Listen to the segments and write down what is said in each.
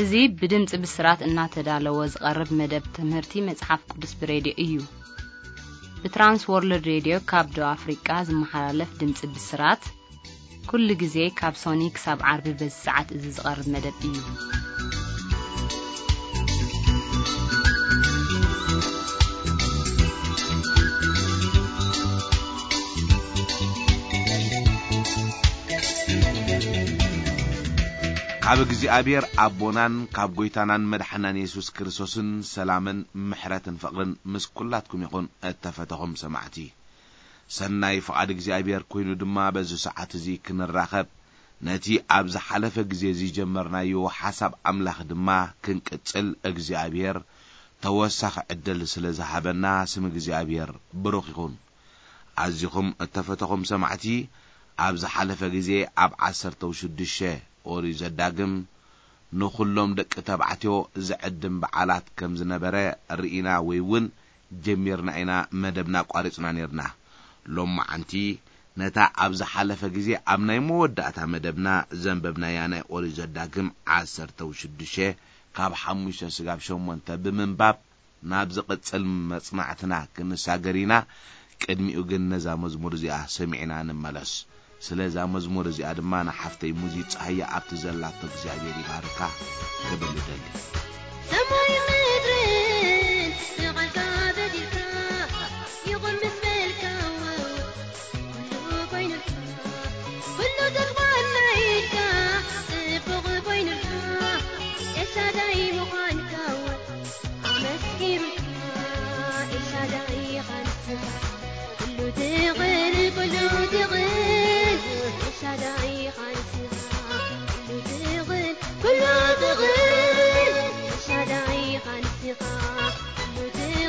እዚ ብድምጺ ብስራት እናተዳለወ ዝቐርብ መደብ ትምህርቲ መጽሓፍ ቅዱስ ብሬድዮ እዩ። ብትራንስ ወርልድ ሬድዮ ካብ ደቡብ ኣፍሪቃ ዝመሓላለፍ ድምጺ ብስራት፣ ኩሉ ግዜ ካብ ሶኒ ክሳብ ዓርቢ በዚ ሰዓት እዚ ዝቐርብ መደብ እዩ። ካብ እግዚኣብሔር ኣቦናን ካብ ጐይታናን መድሓናን የሱስ ክርስቶስን ሰላምን ምሕረትን ፍቕርን ምስ ኩላትኩም ይኹን። እተፈተኹም ሰማዕቲ፣ ሰናይ ፍቓድ እግዚኣብሔር ኮይኑ ድማ በዚ ሰዓት እዚ ክንራኸብ፣ ነቲ ኣብ ዝሓለፈ ግዜ ዝጀመርናዮ ሓሳብ ኣምላኽ ድማ ክንቅጽል እግዚኣብሔር ተወሳኺ ዕድል ስለ ዝሃበና ስም እግዚኣብሔር ብሩኽ ይኹን። ኣዚኹም እተፈተኹም ሰማዕቲ፣ ኣብ ዝሓለፈ ግዜ ኣብ ዓሰርተ ሽዱሽተ ኦሪት ዘዳግም ንኹሎም ደቂ ተባዕትዮ ዝዕድም በዓላት ከም ዝነበረ ርኢና ወይ እውን ጀሚርና ኢና መደብና ኣቋሪጽና ነይርና። ሎማዓንቲ ነታ ኣብ ዝሓለፈ ግዜ ኣብ ናይ መወዳእታ መደብና ዘንበብናያ ናይ ኦሪት ዘዳግም ዓሰርተ ሽዱሽተ ካብ ሓሙሽተ ስጋብ ሸሞንተ ብምንባብ ናብ ዝቕጽል መጽናዕትና ክንሳገር ኢና። ቅድሚኡ ግን ነዛ መዝሙር እዚኣ ሰሚዕና ንመለስ። ስለ እዛ መዝሙር እዚኣ ድማ ንሓፍተይ ሙዚ ጸሃየ ኣብቲ ዘላቶ እግዚኣብሔር ይባርካ። ክብል እደሊ። ሰማይ ምድርን ብቓልካ በዲልካ ይኹን ምስ በልካ፣ ኩሉ ኮይኑልካ፣ ኩሉ ተግባር ናይካ ጽቡቕ ኮይኑልካ፣ ኤልሻዳይ ምዃንካ ኣመስኪሩልካ። ኤልሻዳይ ኢኻ ንስኻ፣ ኩሉ ትኽእል፣ ኩሉ ትኽእል፣ ኤልሻዳይ ኢኻ ንስኻ፣ ኩሉ ትኽእል፣ ኩሉ ትኽእል፣ ኤልሻዳይ ኢኻ ንስኻ፣ ኩሉ ትኽእል።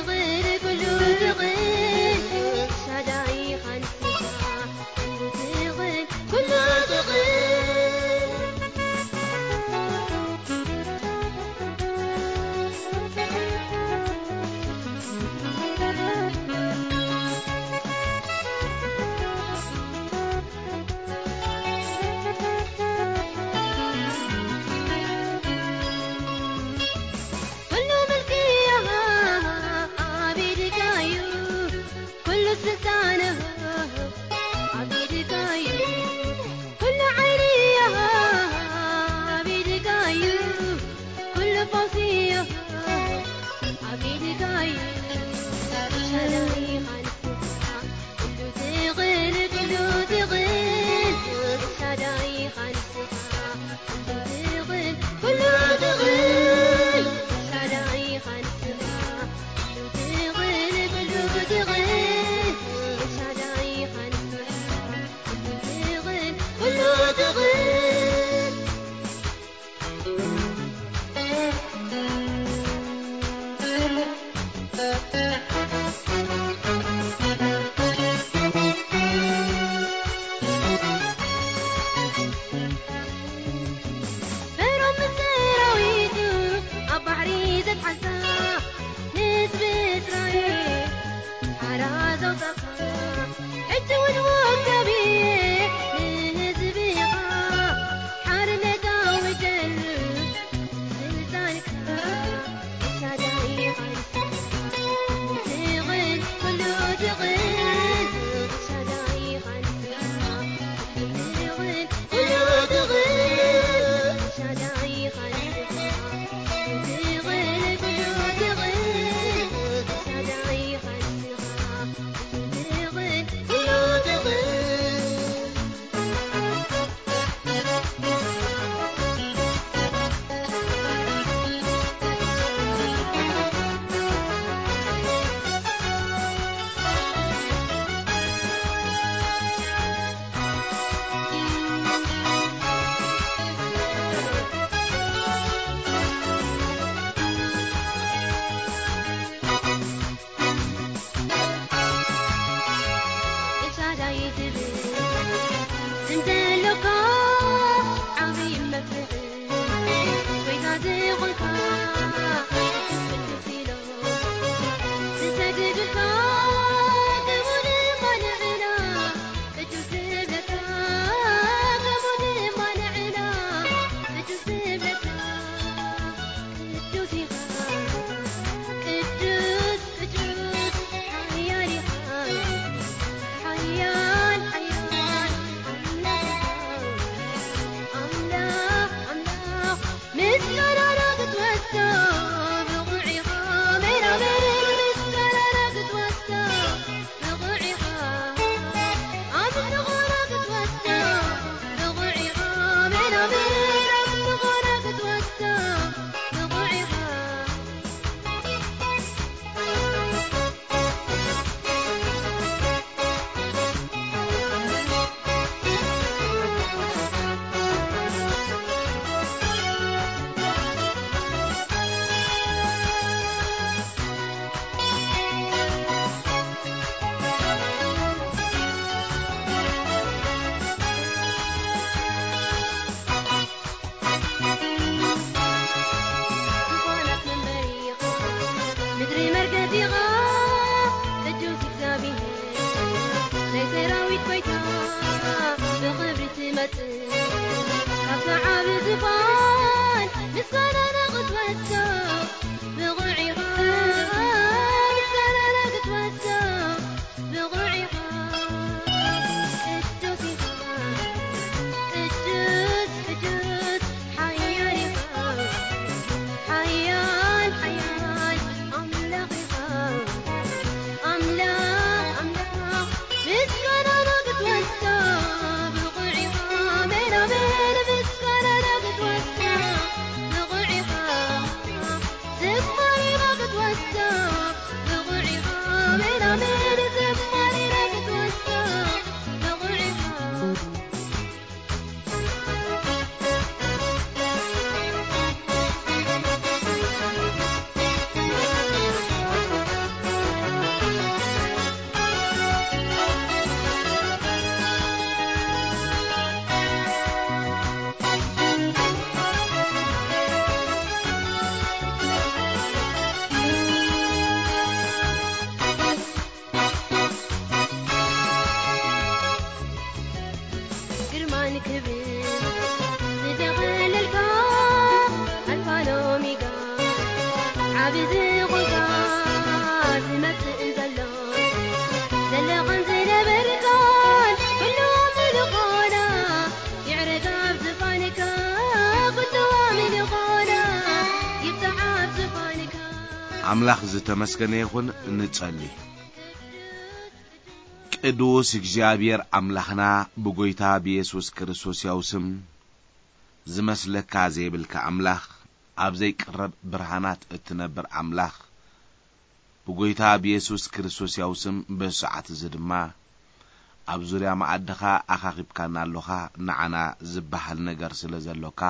ክብር ዝደኸለልካ ኣልፋን ኦሜጋ፣ ዓቢ ዝኾንካ ዝመጽእን ዘሎ፣ ዘለኻን ዝነበርካን ኩሉ ምልኾና፣ ይዕረግ ኣብ ዝፋንካ ኩሉ ምልኾና፣ ይብጻሕ ኣብ ዝፋንካ። ኣምላኽ ዝተመስገነ ይኹን። ንጸሊ። ቅዱስ እግዚኣብሔር ኣምላኽና፣ ብጎይታ ብየሱስ ክርስቶስ ያው ስም፣ ዝመስለካ ዘይብልካ ኣምላኽ፣ ኣብ ዘይቅረብ ብርሃናት እትነብር ኣምላኽ፣ ብጎይታ ብየሱስ ክርስቶስ ያው ስም፣ በዚ ሰዓት እዚ ድማ ኣብ ዙርያ መኣድኻ ኣኻኺብካና ኣሎኻ። ንዓና ዝበሃል ነገር ስለ ዘሎካ፣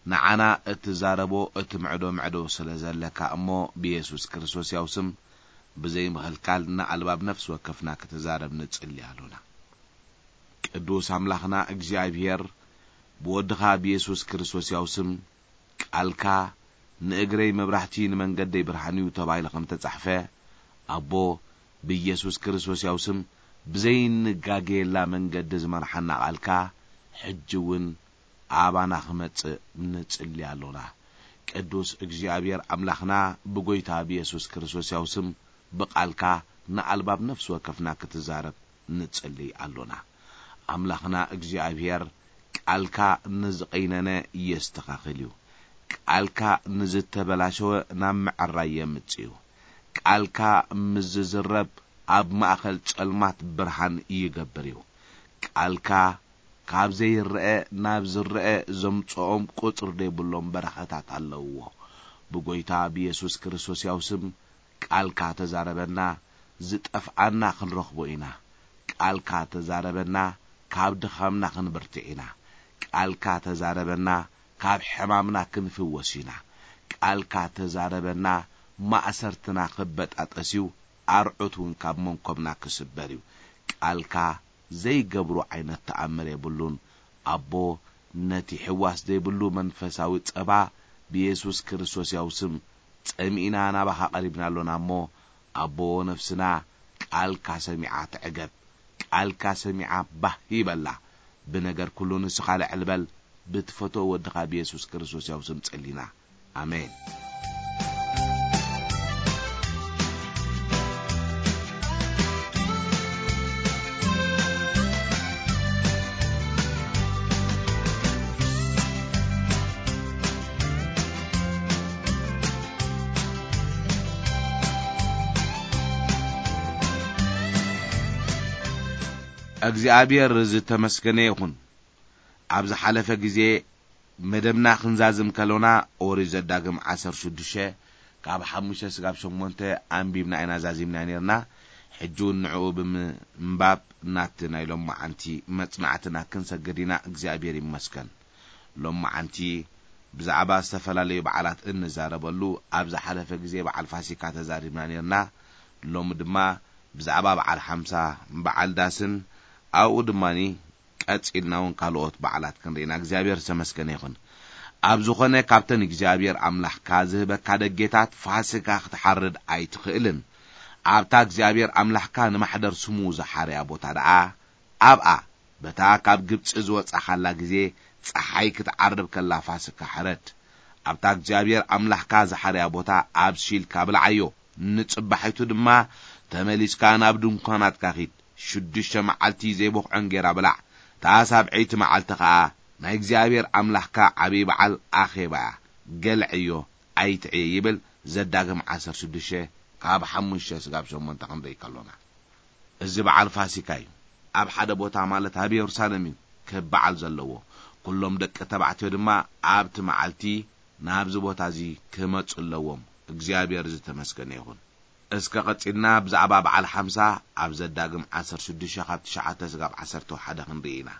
ንዓና እትዛረቦ፣ እትምዕዶ ምዕዶ ስለ ዘለካ እሞ፣ ብየሱስ ክርስቶስ ያው ስም፣ ብዘይ ምኽልካል ንኣልባብ ነፍሲ ወከፍና ክትዛረብ ንጽሊ ኣሎና። ቅዱስ ኣምላኽና እግዚኣብሔር፣ ብወድኻ ብየሱስ ክርስቶስ ያው ስም፣ ቃልካ ንእግረይ መብራህቲ ንመንገደይ ብርሃን እዩ ተባሂሉ ከም ተጻሕፈ፣ ኣቦ፣ ብየሱስ ክርስቶስ ያው ስም፣ ብዘይንጋገየላ መንገዲ ዝመርሓና ቃልካ፣ ሕጂ እውን ኣባና ክመጽእ ንጽሊ ኣሎና። ቅዱስ እግዚኣብሔር ኣምላኽና፣ ብጎይታ ብየሱስ ክርስቶስ ያው ስም፣ ብቃልካ ንኣልባብ ነፍሲ ወከፍና ክትዛረብ ንጽሊ ኣሎና። ኣምላኽና እግዚኣብሔር፣ ቃልካ ንዝቐይነነ የስተኻኽል እዩ። ቃልካ ንዝተበላሸወ ናብ ምዕራይ የምጽእ እዩ። ቃልካ ምስ ዝዝረብ ኣብ ማእከል ጸልማት ብርሃን ይገብር እዩ። ቃልካ ካብ ዘይረአ ናብ ዝረአ ዘምጽኦም ቁጽሪ ዘይብሎም በረኸታት ኣለውዎ። ብጎይታ ብየሱስ ክርስቶስ ያው ስም ቃልካ ተዛረበና፣ ዝጠፍኣና ክንረኽቦ ኢና። ቃልካ ተዛረበና፣ ካብ ድኻምና ክንብርትዕ ኢና። ቃልካ ተዛረበና፣ ካብ ሕማምና ክንፍወስ ኢና። ቃልካ ተዛረበና፣ ማእሰርትና ክበጣጠስ እዩ፣ ኣርዑት እውን ካብ መንኮብና ክስበር እዩ። ቃልካ ዘይገብሮ ዓይነት ተኣምር የብሉን። ኣቦ፣ ነቲ ሕዋስ ዘይብሉ መንፈሳዊ ጸባ ብየሱስ ክርስቶስ ያው ስም ጸሚእና ናባኻ ቀሪብና ኣሎና እሞ፣ ኣቦ፣ ነፍስና ቃልካ ሰሚዓ ትዕገብ፣ ቃልካ ሰሚዓ ባህ ይበላ። ብነገር ኩሉ ንስኻ ልዕል በል፣ ብትፈትዎ ወድኻ ብየሱስ ክርስቶስ ያው ስም ጸሊና። ኣሜን። እግዚኣብሔር ዝተመስገነ ይኹን። ኣብ ዝሓለፈ ግዜ መደብና ክንዛዝም ከሎና፣ ኦሪት ዘዳግም ዓሰርተ ሽዱሽተ ካብ ሓሙሽተ ስጋብ ሸሞንተ ኣንቢብና ኢና ዛዚምና ነርና። ሕጂ እውን ንዕኡ ብምንባብ ናቲ ናይ ሎማዓንቲ መጽናዕትና ክንሰግድ ኢና። እግዚኣብሔር ይመስገን። ሎማዓንቲ ብዛዕባ ዝተፈላለዩ በዓላት እንዛረበሉ፣ ኣብ ዝሓለፈ ግዜ በዓል ፋሲካ ተዛሪብና ነርና። ሎሚ ድማ ብዛዕባ በዓል ሓምሳ፣ በዓል ዳስን ኣብኡ ድማኒ ቀጺልና እውን ካልኦት በዓላት ክንርኢና እግዚኣብሔር ዝተመስገነ ይኹን። ኣብ ዝኾነ ካብተን እግዚኣብሔር ኣምላኽካ ዝህበካ ደጌታት ፋሲካ ክትሓርድ ኣይትኽእልን። ኣብታ እግዚኣብሔር ኣምላኽካ ንማሕደር ስሙ ዝሓርያ ቦታ ደኣ ኣብኣ በታ ካብ ግብጺ ዝወጻኻላ ግዜ ጸሓይ ክትዓርብ ከላ ፋሲካ ሕረድ። ኣብታ እግዚኣብሔር ኣምላኽካ ዝሓርያ ቦታ ኣብሲልካ ብልዓዮ። ንጽባሒቱ ድማ ተመሊስካ ናብ ድንኳናትካ ኺድ። ሽዱሽተ መዓልቲ ዘይበኽዖ እንጌራ ብላዕ። እታ ሳብዐይቲ መዓልቲ ኸኣ ናይ እግዚኣብሔር ኣምላኽካ ዓብዪ በዓል ኣኼባ እያ። ገልዐዮ፣ ኣይትዕየ ይብል። ዘዳግም ዓሰርተ ሽዱሽተ ካብ ሓሙሽተ ስጋብ ሸሞንተ ክንርኢ ከሎና፣ እዚ በዓል ፋሲካ እዩ። ኣብ ሓደ ቦታ ማለት ኣብ የሩሳሌም እዩ ክበዓል ዘለዎ። ኩሎም ደቂ ተባዕትዮ ድማ ኣብቲ መዓልቲ ናብዚ ቦታ እዚ ክመጹ ኣለዎም። እግዚኣብሔር ዝተመስገነ ይኹን። እስከ ቀጺልና ብዛዕባ በዓል ሓምሳ ኣብ ዘዳግም ዓሰርተ ሽዱሽተ ካብ ትሽዓተ ስጋብ ዓሰርተ ሓደ ክንርኢ ኢና።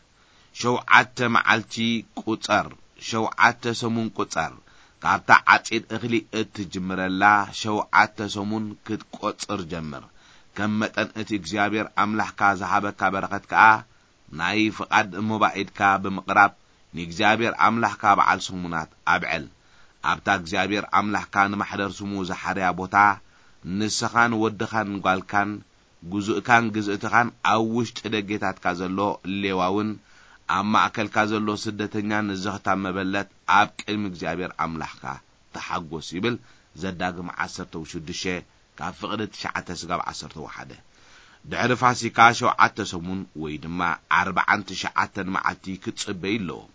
ሸውዓተ መዓልቲ ቁጸር፣ ሸውዓተ ሰሙን ቁጸር፣ ካብታ ዓጺድ እኽሊ እትጅምረላ ሸውዓተ ሰሙን ክትቆጽር ጀምር። ከም መጠን እቲ እግዚኣብሔር ኣምላኽካ ዝሃበካ በረኸት ከኣ ናይ ፍቓድ ሞባኢድካ ብምቕራብ ንእግዚኣብሔር ኣምላኽካ በዓል ሰሙናት ኣብዕል። ኣብታ እግዚኣብሔር ኣምላኽካ ንማሕደር ስሙ ዝሓርያ ቦታ ንስኻን ወድኻን ጓልካን ግዙእካን ግዝእትኻን ኣብ ውሽጢ ደጌታትካ ዘሎ ሌዋውን ኣብ ማእከልካ ዘሎ ስደተኛ ንዘኽታም መበለት ኣብ ቅድሚ እግዚኣብሔር ኣምላኽካ ተሓጎስ ይብል። ዘዳግም ዓሰርተ ሽዱሽተ ካብ ፍቕዲ ትሽዓተ ስጋብ ዓሰርተ ሓደ። ድሕሪ ፋሲካ ሸውዓተ ሰሙን ወይ ድማ ኣርባዓን ትሽዓተን መዓልቲ ክትጽበዩ ኣለዎም።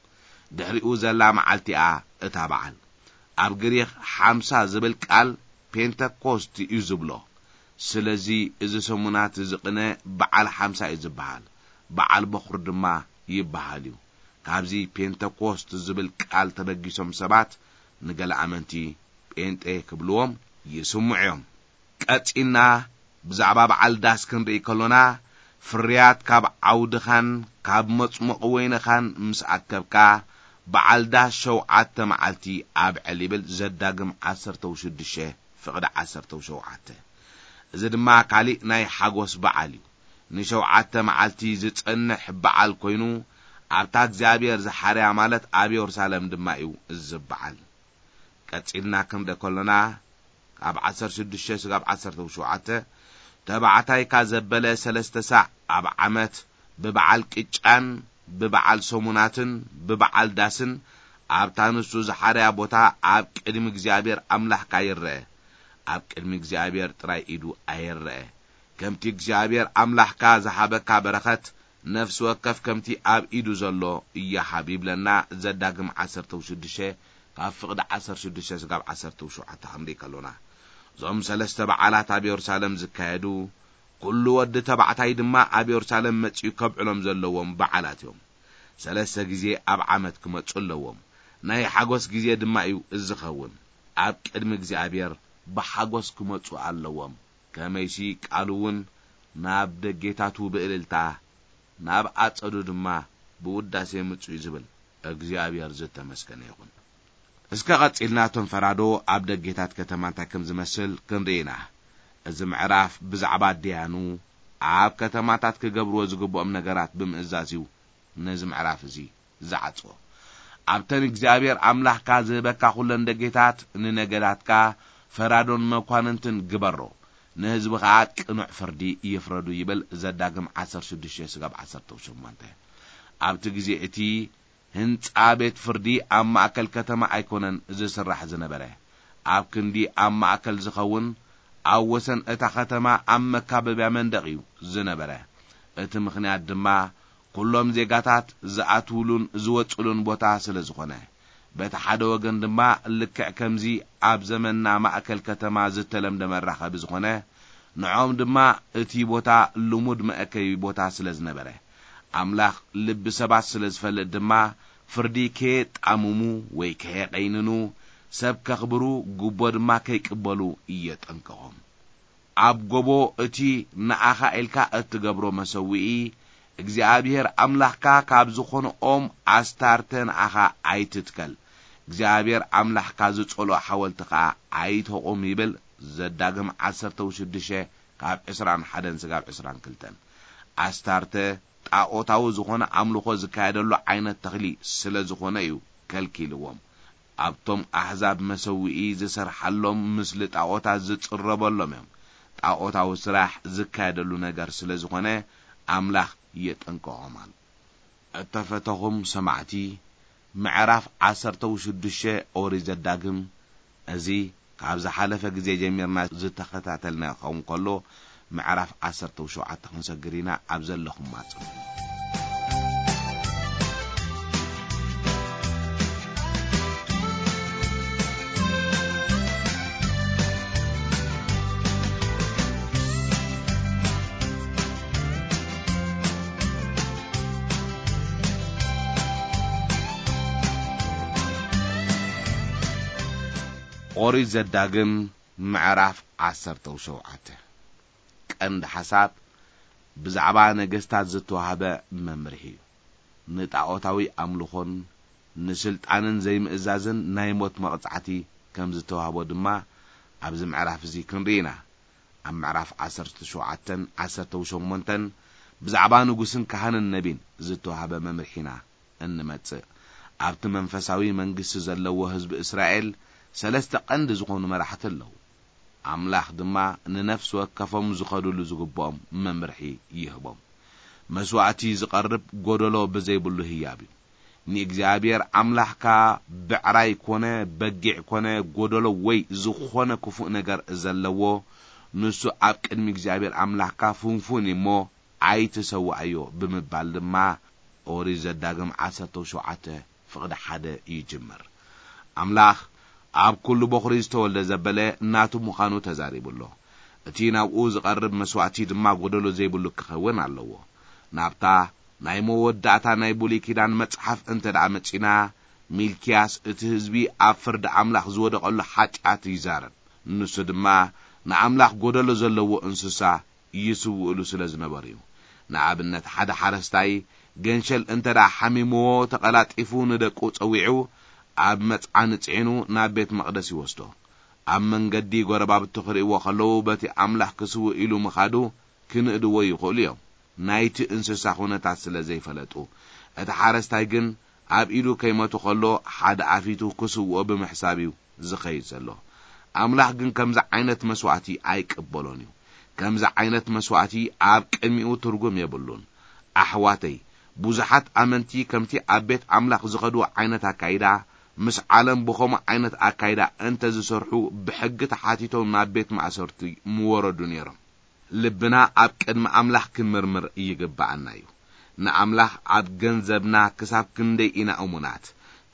ድሕሪኡ ዘላ መዓልቲኣ እታ በዓል። ኣብ ግሪኽ ሓምሳ ዝብል ቃል ፔንተኮስት እዩ ዝብሎ። ስለዚ እዚ ሰሙናት እዚ ቅነ በዓል ሓምሳ እዩ ዝበሃል። በዓል በኹር ድማ ይበሃል እዩ። ካብዚ ፔንተኮስት ዝብል ቃል ተበጊሶም ሰባት ንገለ ኣመንቲ ጴንጤ ክብልዎም ይስምዑ እዮም። ቀጺልና ብዛዕባ በዓል ዳስ ክንርኢ ከሎና፣ ፍርያት ካብ ዓውድኻን ካብ መጽሞቒ ወይንኻን ምስ ኣከብካ፣ በዓል ዳስ ሸውዓተ መዓልቲ ኣብዕል ይብል ዘዳግም ዓሰርተ ሽዱሽተ ፍቕዲ ዓሰርተ ሸውዓተ። እዚ ድማ ካሊእ ናይ ሓጎስ በዓል እዩ። ንሸውዓተ መዓልቲ ዝጸንሕ በዓል ኮይኑ፣ ኣብታ እግዚኣብሔር ዝሓርያ ማለት ኣብ የሩሳሌም ድማ እዩ እዚ በዓል። ቀጺልና ክንርኢ ከሎና፣ ካብ ዓሰርተ ሽዱሽተ ስጋብ ዓሰርተ ሸውዓተ፣ ተባዕታይካ ዘበለ ሰለስተ ሳዕ ኣብ ዓመት ብበዓል ቅጫን ብበዓል ሰሙናትን ብበዓል ዳስን ኣብታ ንሱ ዝሓርያ ቦታ ኣብ ቅድሚ እግዚኣብሔር ኣምላኽካ ይረአ። ኣብ ቅድሚ እግዚኣብሔር ጥራይ ኢዱ ኣይረአ። ከምቲ እግዚኣብሔር ኣምላኽካ ዝሃበካ በረኸት ነፍሲ ወከፍ ከምቲ ኣብ ኢዱ ዘሎ ይሃብ ይብለና። ዘዳግም ዓሰርተ ሽዱሽተ ካብ ፍቕዲ ዓሰርተ ሽዱሽተ ስጋብ ዓሰርተ ሸውዓተ ክንርኢ ከሎና፣ እዞም ሰለስተ በዓላት ኣብ የሩሳሌም ዝካየዱ፣ ኩሉ ወዲ ተባዕታይ ድማ ኣብ የሩሳሌም መጺኡ ከብዕሎም ዘለዎም በዓላት እዮም። ሰለስተ ግዜ ኣብ ዓመት ክመጹ ኣለዎም። ናይ ሓጎስ ግዜ ድማ እዩ ዝኸውን። ኣብ ቅድሚ እግዚኣብሔር ብሓጎስ ክመጹ ኣለዎም። ከመይሲ ቃሉ እውን ናብ ደጌታቱ ብእልልታ፣ ናብ ኣጸዱ ድማ ብውዳሴ ምጹ እዩ ዝብል። እግዚኣብሔር ዝተመስገነ ይኹን። እስከ ቀጺልና እቶም ፈራዶ ኣብ ደጌታት ከተማ እንታይ ከም ዝመስል ክንርኢ ኢና። እዚ ምዕራፍ ብዛዕባ ኣደያኑ ኣብ ከተማታት ክገብርዎ ዝግብኦም ነገራት ብምእዛዝ እዩ ነዚ ምዕራፍ እዚ ዝዓጽዎ። ኣብተን እግዚኣብሔር ኣምላኽካ ዝህበካ ኩለን ደጌታት ንነገዳትካ ፈራዶን መኳንንትን ግበሮ፣ ንህዝቢ ኸኣ ቅኑዕ ፍርዲ ይፍረዱ ይብል ዘዳግም ዓሰርተ ሽዱሽተ ስጋብ ዓሰርተ ሸሞንተ። ኣብቲ ግዜ እቲ ህንጻ ቤት ፍርዲ ኣብ ማእከል ከተማ ኣይኮነን ዝስራሕ ዝነበረ። ኣብ ክንዲ ኣብ ማእከል ዝኸውን፣ ኣብ ወሰን እታ ከተማ ኣብ መካበብያ መንደቕ እዩ ዝነበረ። እቲ ምኽንያት ድማ፣ ኩሎም ዜጋታት ዝኣትውሉን ዝወጽሉን ቦታ ስለ ዝኾነ። በቲ ሓደ ወገን ድማ፣ ልክዕ ከምዚ ኣብ ዘመንና ማእከል ከተማ ዝተለምደ መራኸቢ ዝኾነ፣ ንዖም ድማ እቲ ቦታ ልሙድ መእከቢ ቦታ ስለ ዝነበረ፣ ኣምላኽ ልቢ ሰባት ስለ ዝፈልጥ ድማ፣ ፍርዲ ከየጣምሙ ወይ ከየቐይንኑ፣ ሰብ ከኽብሩ፣ ጉቦ ድማ ከይቅበሉ የጠንቀቖም። ኣብ ጎቦ እቲ ንኣኻ ኢልካ እትገብሮ መሰውኢ፣ እግዚኣብሔር ኣምላኽካ ካብ ዝኾነ ኦም ኣስታርተ ንኣኻ ኣይትትከል። እግዚኣብሔር ኣምላኽካ ዝጸልኦ ሓወልቲ ኸኣ ኣይተቑም ይብል። ዘዳግም ዓሰርተ ሽዱሽተ ካብ ዕስራን ሓደን ስጋብ ዕስራን ክልተን። ኣስታርተ ጣኦታዊ ዝኾነ ኣምልኾ ዝካየደሉ ዓይነት ተኽሊ ስለ ዝኾነ እዩ ከልኪልዎም። ኣብቶም ኣሕዛብ መሰውኢ ዝሰርሓሎም ምስሊ ጣኦታት ዝጽረበሎም እዮም። ጣኦታዊ ስራሕ ዝካየደሉ ነገር ስለ ዝኾነ ኣምላኽ የጠንቀቖም ኣሎ። እተፈተኹም ሰማዕቲ፣ ምዕራፍ ዓሰርተ ሽዱሽተ ኦሪት ዘዳግም፣ እዚ ካብ ዝሓለፈ ግዜ ጀሚርና ዝተኸታተልና ክኸውን ከሎ፣ ምዕራፍ ዓሰርተ ሸውዓተ ክንሰግር ኢና። ኣብ ዘለኹም ኣጽንሑ። ኦሪት ዘዳግም ምዕራፍ ዓሰርተ ሸውዓተ። ቀንዲ ሓሳብ ብዛዕባ ነገስታት ዝተዋህበ መምርሒ እዩ። ንጣኦታዊ ኣምልኾን ንስልጣንን ዘይምእዛዝን ናይ ሞት መቕጻዕቲ ከም ዝተዋህቦ ድማ ኣብዚ ምዕራፍ እዚ ክንርኢ ኢና። ኣብ ምዕራፍ ዓሰርተ ሸውዓተን ዓሰርተ ሸሞንተን ብዛዕባ ንጉስን ካህንን ነቢን ዝተዋህበ መምርሒ ኢና እንመጽእ። ኣብቲ መንፈሳዊ መንግስቲ ዘለዎ ህዝቢ እስራኤል ሰለስተ ቀንዲ ዝኾኑ መራሕቲ ኣለዉ። ኣምላኽ ድማ ንነፍሲ ወከፎም ዝኸድሉ ዝግብኦም መምርሒ ይህቦም። መስዋእቲ ዝቐርብ ጎደሎ ብዘይብሉ ህያብ እዩ። ንእግዚኣብሔር ኣምላኽካ ብዕራይ ኮነ በጊዕ ኮነ ጎደሎ ወይ ዝኾነ ክፉእ ነገር ዘለዎ፣ ንሱ ኣብ ቅድሚ እግዚኣብሔር ኣምላኽካ ፍንፉን እዩ እሞ ኣይትሰውኣዮ ብምባል ድማ ኦሪት ዘዳግም ዓሰርተ ሸውዓተ ፍቕዲ ሓደ ይጅምር። ኣምላኽ ኣብ ኩሉ በኹሪ ዝተወልደ ዘበለ ናቱ ምዃኑ ተዛሪቡ ኣሎ። እቲ ናብኡ ዝቐርብ መስዋእቲ ድማ ጎደሎ ዘይብሉ ክኸውን ኣለዎ። ናብታ ናይ መወዳእታ ናይ ብሉይ ኪዳን መጽሓፍ እንተ ደኣ መጺና፣ ሚልክያስ እቲ ህዝቢ ኣብ ፍርዲ ኣምላኽ ዝወደቐሉ ሓጢኣት ይዛረብ። ንሱ ድማ ንኣምላኽ ጎደሎ ዘለዎ እንስሳ ይስውእሉ ስለ ዝነበሩ እዩ። ንኣብነት፣ ሓደ ሓረስታይ ገንሸል እንተ ደኣ ሓሚምዎ፣ ተቐላጢፉ ንደቁ ጸዊዑ ኣብ መጽዓኒ ጽዒኑ ናብ ቤት መቕደስ ይወስዶ። ኣብ መንገዲ ጎረባብቱ ክርእይዎ ከለዉ፣ በቲ ኣምላኽ ክስውእ ኢሉ ምኻዱ ክንእድዎ ይኽእሉ እዮም። ናይቲ እንስሳ ኩነታት ስለ ዘይፈለጡ፣ እቲ ሓረስታይ ግን ኣብ ኢዱ ከይመቱ ከሎ ሓደ ኣፊቱ ክስውኦ ብምሕሳብ እዩ ዝኸይድ ዘሎ። ኣምላኽ ግን ከምዚ ዓይነት መስዋእቲ ኣይቅበሎን እዩ። ከምዚ ዓይነት መስዋእቲ ኣብ ቅድሚኡ ትርጉም የብሉን። ኣሕዋተይ፣ ብዙሓት ኣመንቲ ከምቲ ኣብ ቤት ኣምላኽ ዝኸድዎ ዓይነት ኣካይዳ፣ ምስ ዓለም ብኸምኡ ዓይነት ኣካይዳ እንተ ዝሰርሑ፣ ብሕጊ ተሓቲቶም ናብ ቤት ማእሰርቲ ምወረዱ ነይሮም። ልብና ኣብ ቅድሚ ኣምላኽ ክንምርምር ይግብኣና እዩ። ንኣምላኽ ኣብ ገንዘብና ክሳብ ክንደይ ኢና እሙናት?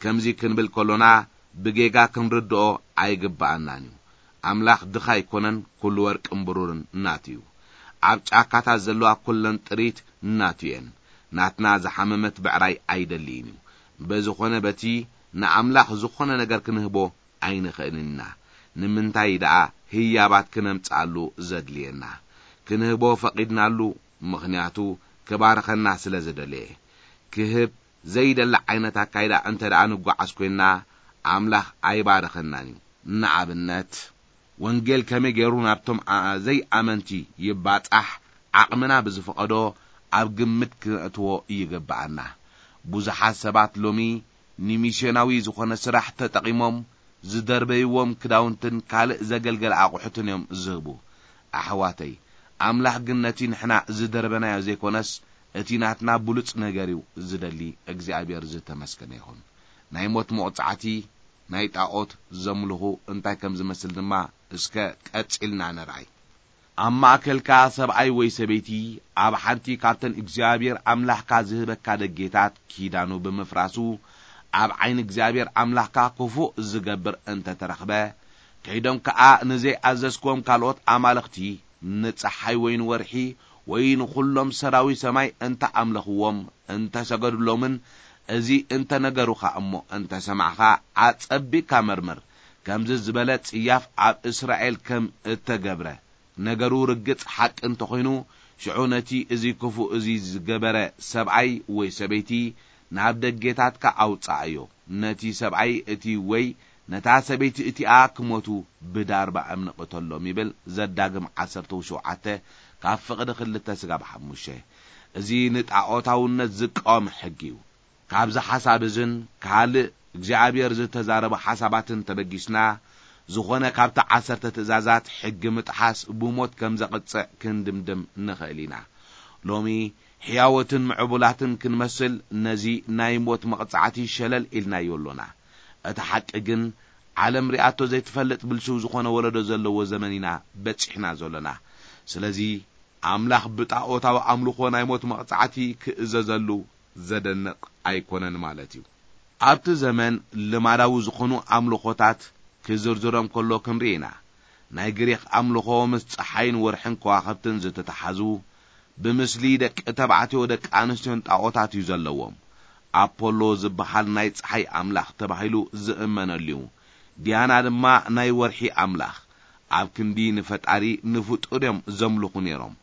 ከምዚ ክንብል ከሎና ብጌጋ ክንርድኦ ኣይግብኣናን እዩ። ኣምላኽ ድኻ ኣይኮነን፣ ኩሉ ወርቅን ብሩርን ናቱ እዩ። ኣብ ጫካታት ዘለዋ ኩለን ጥሪት ናቱ እየን። ናትና ዝሓመመት ብዕራይ ኣይደልይን እዩ። በዝኾነ በቲ ንኣምላኽ ዝኾነ ነገር ክንህቦ ኣይንኽእልን ኢና። ንምንታይ ደኣ ህያባት ክነምጽኣሉ ዘድልየና? ክንህቦ ፈቒድናሉ፣ ምኽንያቱ ክባርኸና ስለ ዝደለየ። ክህብ ዘይደሊ ዓይነት ኣካይዳ እንተ ደኣ ንጓዓዝ ኮይንና፣ ኣምላኽ ኣይባርኸናን እዩ። ንኣብነት፣ ወንጌል ከመይ ገይሩ ናብቶም ኣ-፣ ዘይኣመንቲ ይባጻሕ ዓቕምና ብዝፈቐዶ ኣብ ግምት ክነእትዎ ይግብኣና። ብዙሓት ሰባት ሎሚ ንሚስዮናዊ ዝኾነ ስራሕ ተጠቒሞም ዝደርበይዎም ክዳውንትን ካልእ ዘገልገለ ኣቑሑትን እዮም ዝህቡ። ኣሕዋተይ፣ ኣምላኽ ግን ነቲ ንሕና ዝደርበናዮ ዘይኮነስ እቲ ናትና ብሉጽ ነገር እዩ ዝደሊ። እግዚኣብሔር ዝተመስገነ ይኹን። ናይ ሞት መቕጻዕቲ ናይ ጣዖት ዘምልኹ እንታይ ከም ዝመስል ድማ እስከ ቀጺልና ንርኣይ። ኣብ ማእከልካ ሰብኣይ ወይ ሰበይቲ ኣብ ሓንቲ ካብተን እግዚኣብሔር ኣምላኽካ ዝህበካ ደጌታት ኪዳኑ ብምፍራሱ፣ ኣብ ዓይኒ እግዚኣብሔር ኣምላኽካ ክፉእ ዝገብር እንተ ተረኽበ፣ ከይዶም ከኣ ንዘይኣዘዝክዎም ካልኦት ኣማልኽቲ፣ ንጸሓይ ወይ ንወርሒ ወይ ንኹሎም ሰራዊት ሰማይ እንተ ኣምለኽዎም፣ እንተ ሰገዱሎምን፣ እዚ እንተ ነገሩኻ እሞ እንተ ሰማዕኻ፣ ኣጸቢቕካ መርምር። ከምዚ ዝበለ ጽያፍ ኣብ እስራኤል ከም እተገብረ፣ ነገሩ ርግጽ ሓቂ እንተኾይኑ፣ ሽዑ ነቲ እዚ ክፉእ እዚ ዝገበረ ሰብኣይ ወይ ሰበይቲ ናብ ደጌታትካ ኣውጽኣዮ። ነቲ ሰብኣይ እቲ ወይ ነታ ሰበይቲ እቲኣ ክሞቱ ብዳርባ እምኒ ቅተሎም ይብል ዘዳግም ዓሰርተ ሸውዓተ ካብ ፍቕዲ ክልተ ስጋብ ሓሙሽተ። እዚ ንጣዖታውነት ዝቃወም ሕጊ እዩ። ካብዚ ሓሳብ እዝን ካልእ እግዚኣብሔር ዝተዛረቦ ሓሳባትን ተበጊስና፣ ዝኾነ ካብቲ ዓሰርተ ትእዛዛት ሕጊ ምጥሓስ ብሞት ከም ዘቕጽዕ ክንድምድም ንኽእል ኢና። ሎሚ ሕያዎትን ምዕቡላትን ክንመስል ነዚ ናይ ሞት መቕጻዕቲ ሸለል ኢልናዮ ኣሎና። እቲ ሓቂ ግን ዓለም ሪኣቶ ዘይትፈልጥ ብልሽው ዝኾነ ወለዶ ዘለዎ ዘመን ኢና በጺሕና ዘሎና። ስለዚ ኣምላኽ ብጣዖታዊ ኣምልኾ ናይ ሞት መቕጻዕቲ ክእዘዘሉ ዘደንቕ ኣይኮነን ማለት እዩ። ኣብቲ ዘመን ልማዳዊ ዝኾኑ ኣምልኾታት ክዝርዝሮም ከሎ ክንርኢ ኢና። ናይ ግሪኽ ኣምልኾ ምስ ጸሓይን ወርሕን ከዋኽብትን ዝተተሓዙ፣ ብምስሊ ደቂ ተባዕትዮ ደቂ ኣንስትዮን ጣዖታት እዩ ዘለዎም። ኣፖሎ ዝበሃል ናይ ጸሓይ ኣምላኽ ተባሂሉ ዝእመነሉ እዩ። ዲያና ድማ ናይ ወርሒ ኣምላኽ። ኣብ ክንዲ ንፈጣሪ ንፍጡር እዮም ዘምልኹ ነይሮም።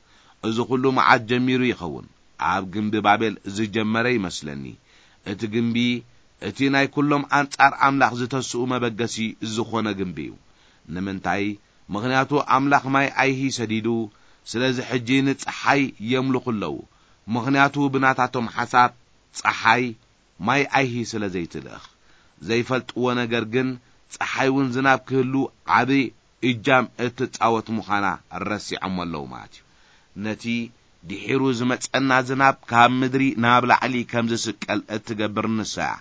እዚ ኹሉ መዓት ጀሚሩ ይኸውን? ኣብ ግምቢ ባቤል ዝጀመረ ይመስለኒ። እቲ ግምቢ እቲ ናይ ኩሎም ኣንጻር ኣምላኽ ዝተስኡ መበገሲ ዝኾነ ግምቢ እዩ። ንምንታይ? ምኽንያቱ ኣምላኽ ማይ ኣይሂ ሰዲዱ፣ ስለዚ ሕጂ ንጸሓይ የምልኹ ኣለዉ። ምኽንያቱ ብናታቶም ሓሳብ ጸሓይ ማይ ኣይሂ ስለ ዘይትልእኽ። ዘይፈልጥዎ ነገር ግን ጸሓይ እውን ዝናብ ክህሉ ዓቢ እጃም እትጻወት ምዃና ረሲዖሞ ኣለዉ ማለት እዩ። ነቲ ድሒሩ ዝመጸና ዝናብ ካብ ምድሪ ናብ ላዕሊ ከም ዝስቀል እትገብር ንሳ እያ።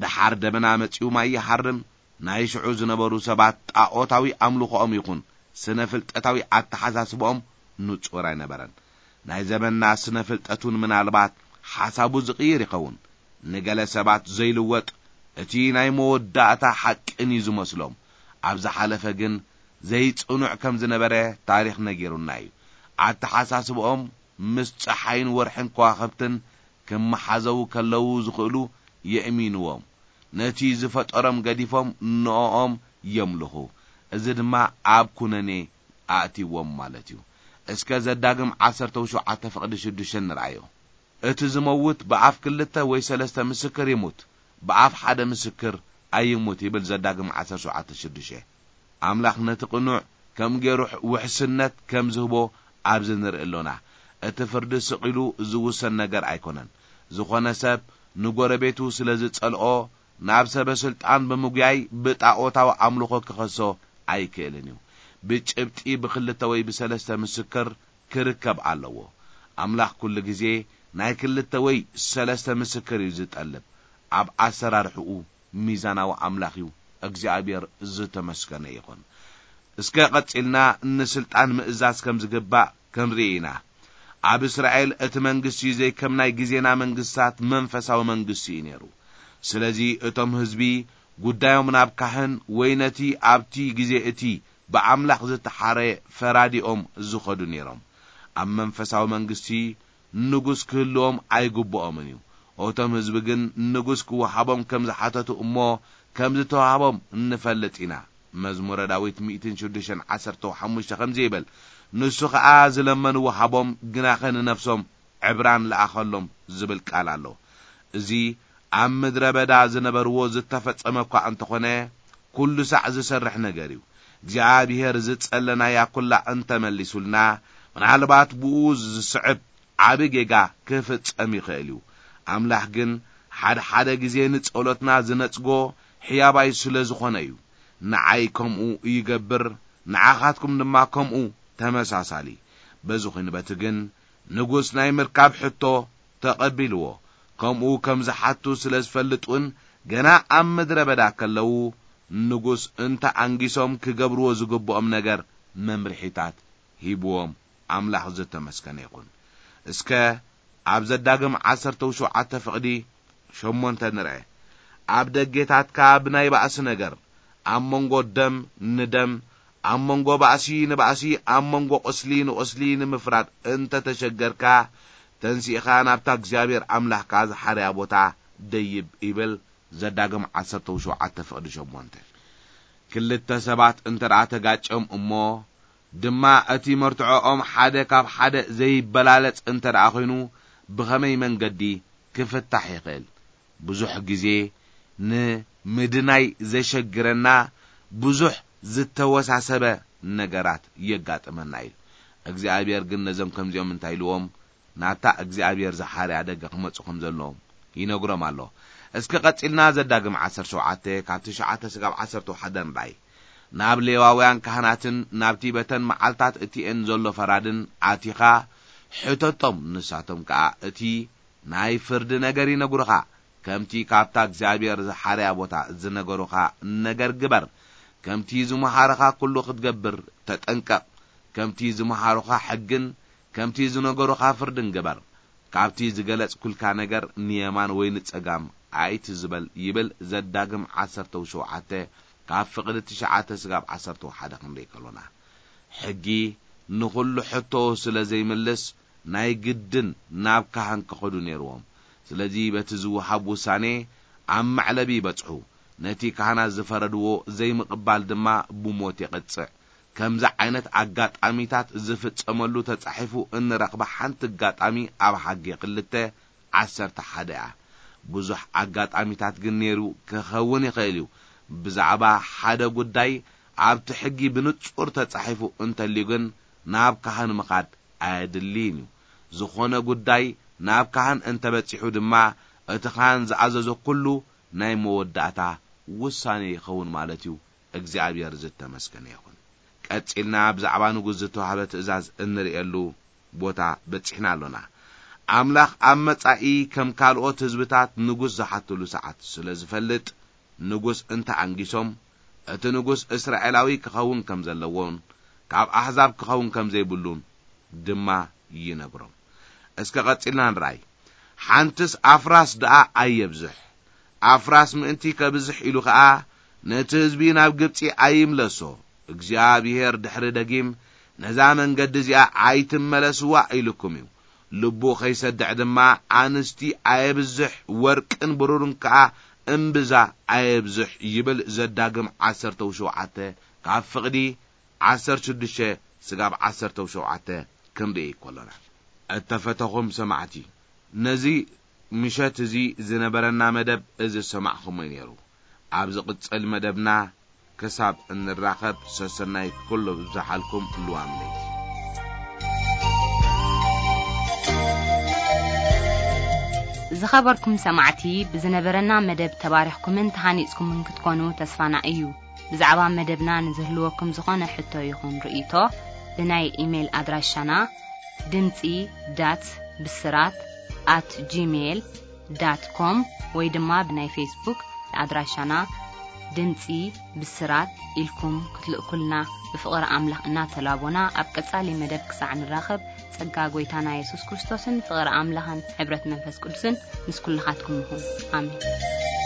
ደሓር ደበና መጺኡ ማይ ይሃርም። ናይ ሽዑ ዝነበሩ ሰባት ጣዖታዊ ኣምልኾኦም ይኹን ስነ ፍልጠታዊ ኣተሓሳስባኦም ንጹር ኣይነበረን። ናይ ዘመንና ስነ ፍልጠት እውን ምናልባት ሓሳቡ ዝቕይር ይኸውን። ንገለ ሰባት ዘይልወጥ እቲ ናይ መወዳእታ ሓቅን እዩ ዝመስሎም። ኣብ ዝሓለፈ ግን ዘይጽኑዕ ከም ዝነበረ ታሪኽ ነጊሩና እዩ። ኣተሓሳስብኦም ምስ ጸሓይን ወርሕን ከዋኽብትን ክመሓዘዉ ከለዉ ዝኽእሉ የእሚንዎም። ነቲ ዝፈጠሮም ገዲፎም ንኦም የምልኹ። እዚ ድማ ኣብ ኩነኔ ኣእትይዎም ማለት እዩ። እስከ ዘዳግም ዓሰርተ ሸውዓተ ፍቕዲ ሽዱሽተ ንርኣዮ። እቲ ዝመውት ብኣፍ ክልተ ወይ ሰለስተ ምስክር ይሙት፣ ብኣፍ ሓደ ምስክር ኣይሙት ይብል ዘዳግም ዓሰርተ ሸውዓተ ሽዱሽተ። ኣምላኽ ነቲ ቅኑዕ ከም ገይሩ ውሕስነት ከም ዝህቦ ኣብዚ ንርኢ ኣሎና። እቲ ፍርዲ ስቕ ኢሉ ዝውሰን ነገር ኣይኮነን። ዝኾነ ሰብ ንጎረቤቱ ስለ ዝጸልኦ ናብ ሰበ ስልጣን ብምጉያይ ብጣዖታዊ ኣምልኾ ክኸሶ ኣይክእልን እዩ። ብጭብጢ ብክልተ ወይ ብሰለስተ ምስክር ክርከብ ኣለዎ። ኣምላኽ ኩሉ ግዜ ናይ ክልተ ወይ ሰለስተ ምስክር እዩ ዝጠልብ። ኣብ ኣሰራርሕኡ ሚዛናዊ ኣምላኽ እዩ። እግዚኣብሔር ዝተመስገነ ይኹን። እስከ ቀጺልና ንስልጣን ምእዛዝ ከም ዝግባእ ክንርኢ ኢና። ኣብ እስራኤል እቲ መንግስቲ ዘይከም ናይ ግዜና መንግስታት መንፈሳዊ መንግስቲ እዩ ነይሩ። ስለዚ እቶም ህዝቢ ጉዳዮም ናብ ካህን ወይ ነቲ ኣብቲ ግዜ እቲ ብኣምላኽ ዝተሓረየ ፈራዲኦም ዝኸዱ ነይሮም። ኣብ መንፈሳዊ መንግስቲ ንጉስ ክህልዎም ኣይግብኦምን እዩ። እቶም ህዝቢ ግን ንጉስ ክወሃቦም ከም ዝሓተቱ እሞ ከም ዝተዋህቦም እንፈልጥ ኢና። መዝሙረ ዳዊት ሚእትን ሽዱሽተን ዓሰርተ ሓሙሽተ ከምዚ ይብል፣ "ንሱ ኸኣ ዝለመንዎ ሃቦም፣ ግናኸ ንነፍሶም ዕብራን ለኣኸሎም" ዝብል ቃል ኣሎ። እዚ ኣብ ምድረ በዳ ዝነበርዎ ዝተፈጸመ እኳ እንተኾነ፣ ኩሉ ሳዕ ዝሰርሕ ነገር እዩ። እግዚኣብሔር ዝጸለናያ ኩላ እንተመሊሱልና፣ ምናልባት ብኡ ዝስዕብ ዓቢ ጌጋ ክፍጸም ይኽእል እዩ። ኣምላኽ ግን ሓደ ሓደ ግዜ ንጸሎትና ዝነጽጎ ሕያባይ ስለ ዝኾነ እዩ። ንዓይ ከምኡ ይገብር፣ ንዓኻትኩም ድማ ከምኡ ተመሳሳሊ። በዚ ኹንበት ግን ንጉስ ናይ ምርካብ ሕቶ ተቐቢልዎ። ከምኡ ከም ዝሓቱ ስለ ዝፈልጥ እውን ገና ኣብ ምድረ በዳ ከለዉ ንጉስ እንተ ኣንጊሶም ክገብርዎ ዝግብኦም ነገር መምርሒታት ሂብዎም። ኣምላኽ ዝተመስገነ ይኹን። እስከ ኣብ ዘዳግም ዓሰርተ ሸውዓተ ፍቕዲ ሸሞንተ ንርአ። ኣብ ደጌታትካ ብናይ ባእሲ ነገር፣ ኣብ መንጎ ደም ንደም፣ ኣብ መንጎ ባእሲ ንባእሲ፣ ኣብ መንጎ ቁስሊ ንቁስሊ ንምፍራድ እንተ ተሸገርካ፣ ተንሲእኻ ናብታ እግዚኣብሔር ኣምላኽካ ዝሓርያ ቦታ ደይብ ይብል። ዘዳግም ዓሰርተ ሸውዓተ ፍቕዲ ሸሞንተ። ክልተ ሰባት እንተ ደኣ ተጋጭዮም እሞ ድማ እቲ መርትዖኦም ሓደ ካብ ሓደ ዘይበላለጽ እንተ ደኣ ኾይኑ፣ ብኸመይ መንገዲ ክፍታሕ ይኽእል? ብዙሕ ግዜ ንምድናይ ዘሸግረና ብዙሕ ዝተወሳሰበ ነገራት የጋጥመና እዩ። እግዚኣብሔር ግን ነዞም ከምዚኦም እንታይ ኢልዎም? ናብታ እግዚኣብሔር ዝሓርያ ደገ ክመጹ ከም ዘለዎም ይነግሮም ኣሎ። እስከ ቀጺልና ዘዳግም ዓሰርተ ሸውዓተ ካብ ትሽዓተ ስጋብ ዓሰርተ ሓደ ንርኣይ። ናብ ሌዋውያን ካህናትን ናብቲ በተን መዓልታት እቲኤን ዘሎ ፈራድን ኣቲኻ ሕተቶም፣ ንሳቶም ከኣ እቲ ናይ ፍርዲ ነገር ይነግሩኻ፣ ከምቲ ካብታ እግዚኣብሔር ዝሓርያ ቦታ ዝነገሩኻ ነገር ግበር። ከምቲ ዝመሃሩኻ ኩሉ ክትገብር ተጠንቀቕ። ከምቲ ዝመሃሩኻ ሕግን ከምቲ ዝነገሩኻ ፍርድን ግበር። ካብቲ ዝገለጽኩልካ ነገር ንየማን ወይ ንጸጋም ኣይትዝበል ይብል ዘዳግም ዓሰርተ ሸውዓተ ካብ ፍቕዲ ትሽዓተ ስጋብ ዓሰርተ ሓደ ክንርኢ ከሎና። ሕጊ ንኹሉ ሕቶ ስለ ዘይምልስ ናይ ግድን ናብ ካህን ክኸዱ ነይርዎም። ስለዚ በቲ ዝወሃብ ውሳኔ ኣብ መዕለቢ ይበጽሑ። ነቲ ካህናት ዝፈረድዎ ዘይምቕባል ድማ ብሞት የቕጽዕ። ከምዚ ዓይነት ኣጋጣሚታት ዝፍጸመሉ ተጻሒፉ እንረኽባ ሓንቲ ኣጋጣሚ ኣብ ሓጌ ክልተ ዓሰርተ ሓደ እያ። ብዙሕ ኣጋጣሚታት ግን ነይሩ ክኸውን ይኽእል እዩ። ብዛዕባ ሓደ ጉዳይ ኣብቲ ሕጊ ብንጹር ተጻሒፉ እንተልዩ ግን ናብ ካህን ምኻድ ኣየድልይን እዩ። ዝኾነ ጉዳይ ናብ ካህን እንተበጺሑ ድማ እቲ ካህን ዝኣዘዞ ኩሉ ናይ መወዳእታ ውሳኔ ይኸውን ማለት እዩ። እግዚኣብሔር ዝተመስገነ ይኹን። ቀጺልና ብዛዕባ ንጉስ ዝተዋህበ ትእዛዝ እንርእየሉ ቦታ በጺሕና ኣሎና። ኣምላኽ ኣብ መጻኢ ከም ካልኦት ህዝብታት ንጉስ ዝሓትሉ ሰዓት ስለ ዝፈልጥ፣ ንጉስ እንተ ኣንጊሶም፣ እቲ ንጉስ እስራኤላዊ ክኸውን ከም ዘለዎን ካብ ኣሕዛብ ክኸውን ከም ዘይብሉን ድማ ይነግሮም። እስከ ቀጺልና ንርኣይ። ሓንትስ ኣፍራስ ደኣ ኣየብዝሕ። ኣፍራስ ምእንቲ ከብዝሕ ኢሉ ኸኣ ነቲ ህዝቢ ናብ ግብጺ ኣይምለሶ። እግዚኣብሔር ድሕሪ ደጊም ነዛ መንገዲ እዚኣ ኣይትመለስዋ ኢልኩም እዩ። ልቡ ኸይሰድዕ ድማ ኣንስቲ ኣየብዝሕ፣ ወርቅን ብሩርን ከኣ እምብዛ ኣየብዝሕ ይብል። ዘዳግም ዓሰርተ ሸውዓተ ካብ ፍቕዲ ዓሰርተ ሽዱሽተ ስጋብ ዓሰርተ ሸውዓተ ክንርኢ ከሎና። እተፈተኹም ሰማዕቲ፣ ነዚ ምሸት እዚ ዝነበረና መደብ እዚ ዝሰማዕኹሞ እዩ ነይሩ። ኣብ ዝቕጽል መደብና ክሳብ እንራኸብ ሰሰናይ ኩሉ ብዝሓልኩም ልዋም ለይቲ። ዝኸበርኩም ሰማዕቲ፣ ብዝነበረና መደብ ተባሪኽኩምን ተሃኒጽኩምን ክትኮኑ ተስፋና እዩ። ብዛዕባ መደብና ንዝህልወኩም ዝኾነ ሕቶ ይኹን ርእይቶ፣ ብናይ ኢሜይል ኣድራሻና ድምጺ ዳት ብስራት ኣት ጂሜይል ዳት ኮም ወይ ድማ ብናይ ፌስቡክ ኣድራሻና ድምጺ ብስራት ኢልኩም ክትልእኩልና ብፍቕሪ ኣምላኽ እናተላቦና፣ ኣብ ቀጻሊ መደብ ክሳዕ ንራኸብ፣ ጸጋ ጐይታና የሱስ ክርስቶስን ፍቕሪ ኣምላኽን ሕብረት መንፈስ ቅዱስን ምስ ኩልኻትኩም ይኹን። ኣሜን።